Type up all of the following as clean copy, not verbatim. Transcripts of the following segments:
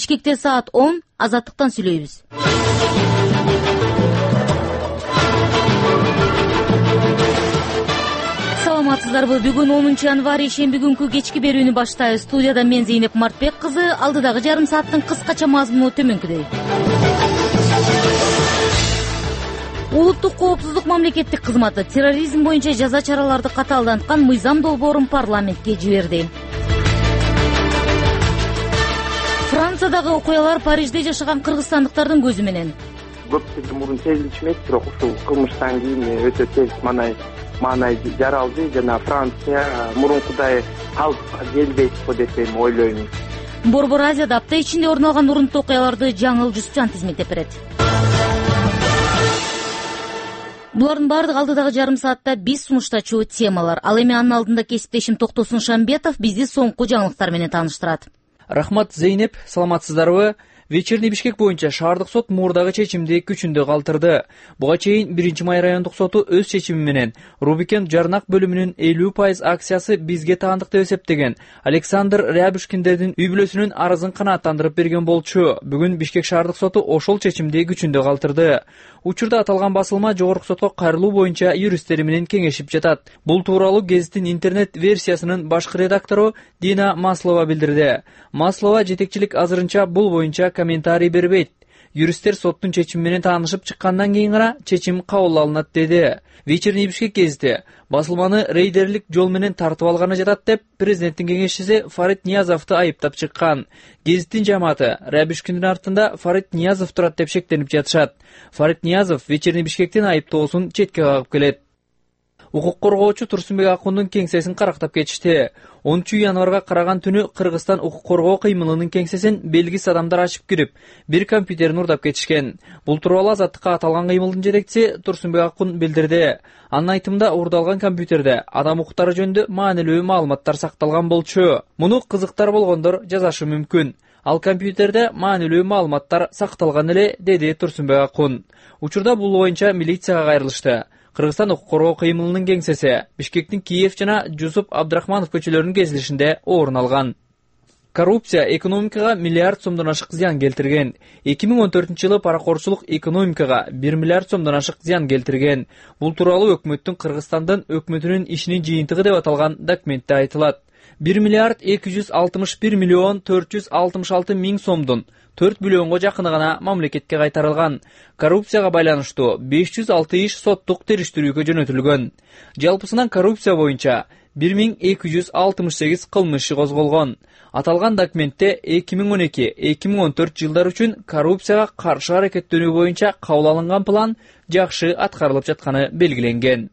Бишкекте саат 10. Азаттыктан сүйлөйбүз. Саламатсыздарбы? Бүгүн 10 январь ишемби күнкү кечки берүүнү баштайбыз. Студияда мен Зейнеп Мартбек кызы. Алдыдагы жарым сааттын кыскача мазмуну төмөнкүдөй. Улуттук коопсуздук мамлекеттик кызматы терроризм боюнча жаза чараларды катаалданткан мыйзам долбоорун парламентке жиберди. Франциядагы окуялар Парижде жашаган кыргызстандыктардын көзү менен. Көпчүлүк мурун сезилчү эмес, бирок ушул кылмыштан кийин өтө терс маанай жаралды жана Франция мурункудай калыпка келбейт го деп мен ойлойм. Борбор Азияда апта ичинде орун алган урунттуу окуяларды жаңыл Жусупжан тизметтеп берет. Булардын баардыгы алдыдагы жарым саатта биз сунуштачу темалар. Ал эми анын алдында кесиптешим Токтосун Шамбетов бизди соңку жаңылыктар менен тааныштырат. Рахмат, Зейнеп, саламатсыздарбы? Вечерний Бишкек боюнча шаардык сот мурдагы чечимди күчүндө калтырды. Буга чейин 1-май райондук соту өз чечими менен Рубикен жарнак бөлүмүнүн 50% акциясы бизге таандык деп эсептеген Александр Рябушкиндердин үй бүлөсүнүн арызын канааттандырып берген болчу. Бүгүн Бишкек шаардык соту ошол чечимди күчүндө калтырды. Учурда аталган басылма жогорку сотко кайрылуу боюнча юристтери менен кеңешип жатат. Бул тууралуу гезиттин интернет версиясынын башкы редактору Дина Маслова билдирди. Маслова жетекчилик азырынча бул боюнча комментарий бербейт. Юристтер соттун чечими менен таанышып чыккандан кийин гана чечим кабыл алынат деди. Вечерний Бишкек гезити басылманы рейдерлик жол менен тартып алганы жатат деп президенттин кеңешчиси Фарид Ниязовду айыптап чыккан. Гезиттин жамааты Рябушкиндин артында Фарид Ниязов турат деп шектенип жатышат. Фарид Ниязов Вечерний Бишкектин айыптоосун четке кагып келет. Укук коргоочу Турсунбек Акундун кеңсесин карактап кетишти. 10 январга караган түнү Кыргызстан укук коргоо кыймылынын кеңсесин белгисиз адамдар ачып кирип, бир компьютерин урдап кетишкен. Бул тууралуу Азаттыкка аталган кыймылдын жетекчиси Турсунбек Акун билдирди. Анын айтымында урдалган компьютерде адам укуктары жөнүндө маанилүү маалыматтар сакталган болчу. Муну кызыктар болгондор жазашы мүмкүн. Ал компьютерде маанилүү маалыматтар сакталган эле, деди Турсунбек Акун. Учурда бул боюнча милицияга кайрылышты. Кыргызстан укук коргоо кыймылынын кеңсеси Бишкектин Киев жана Жусуп Абдрахманов көчөлөрүнүн кесилишинде орун алган. Коррупция экономикага миллиард сомдон ашык зыян келтирген. 2014-жылы паракорчулук экономикага 1 миллиард сомдон ашык зыян келтирген. Бул тууралуу өкмөттүн Кыргызстандын өкмөтүнүн ишинин жыйынтыгы деп аталган документте айтылат. 1 миллиард 261 миллион 466 миң сомдун 4 миллионго жакыны гана мамлекетке кайтарылган. Коррупцияга байланыштуу 506 иш соттук териштирүүгө жөнөтүлгөн. Жалпысынан коррупция боюнча 1268 кылмыш иши козголгон. Аталган документте 2012-2014 жылдар үчүн коррупцияга каршы аракеттенүү боюнча кабыл алынган план жакшы аткарылып жатканы белгиленген.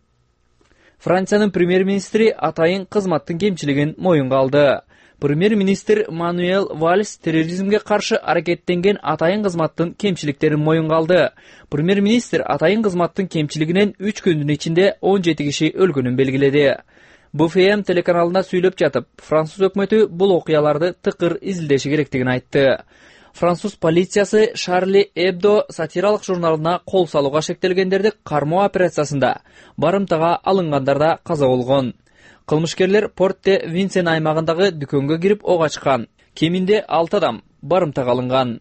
Франциянын премьер-министри атайын кызматтын кемчилигин моюнга алды. Премьер-министр Мануэль Вальс терроризмге каршы аракеттенген атайын кызматтын кемчиликтерин моюнга алды. Премьер-министр атайын кызматтын кемчилигинен 3 күндүн ичинде 17 киши өлгөнүн белгиледи. БФМ телеканалына сүйлөп жатып, француз өкмөтү бул окуяларды тыкыр изилдеши керектигин айтты. Француз полициясы Шарли Эбдо сатиралык журналына кол салууга шектелгендерди кармоо операциясында барымтага алынгандарда каза болгон. Кылмышкерлер Порт-де-Винсен аймагындагы дүкөнгө кирип ок ачкан. Кеминде 6 адам барымтага алынган.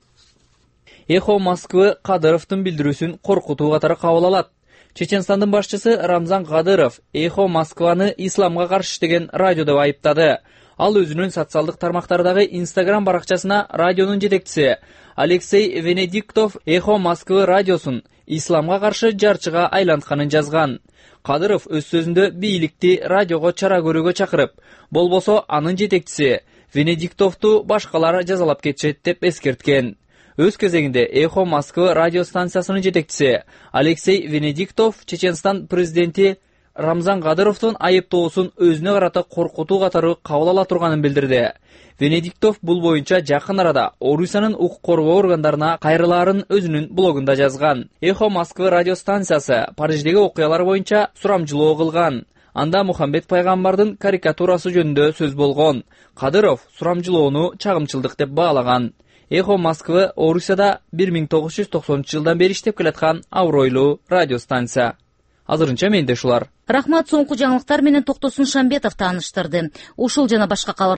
Эхо Москвы Кадыровдун билдирүүсүн коркутуу катары кабыл алат. Чеченстандын башчысы Рамзан Кадыров Эхо Москваны исламга каршы иштеген радио деп айыптады. Ал өзүнүн социалдык тармактардагы Instagram баракчасына радионун жетекчиси Алексей Венедиктов Эхо Москвы радиосун исламга каршы жарчыга айлантканын жазган. Кадыров өз сөзүндө бийликти радиого чара көрүүгө чакырып, болбосо анын жетекчиси Венедиктовду башкалар жазалап кетишет деп эскерткен. Өз кезегинде Эхо Москвы радио станциясынын жетекчиси Алексей Венедиктов Чеченстан президенти Рамзан Кадыровдун айыптоосун өзүнө карата коркутуу катары кабыл ала турганын билдирди. Венедиктов бул боюнча жакын арада Орусиянын укук коргоо органдарына кайрылаарын өзүнүн блогунда жазган. Эхо Москвы радио станциясы Париждеги окуялар боюнча сурамжылоо кылган. Анда Мухаммед пайгамбардын карикатурасы жөнүндө сөз болгон. Кадыров сурамжылоону чагымчылдык деп баалаган. Эхо Москвы Орусияда 1990-жылдан бери иштеп келаткан абройлуу радио станция. Азырынча менде ушулар. Рахмат, соңку жаңылыктар менен Токтосун Шамбетов тааныштырды. Ушул жана башка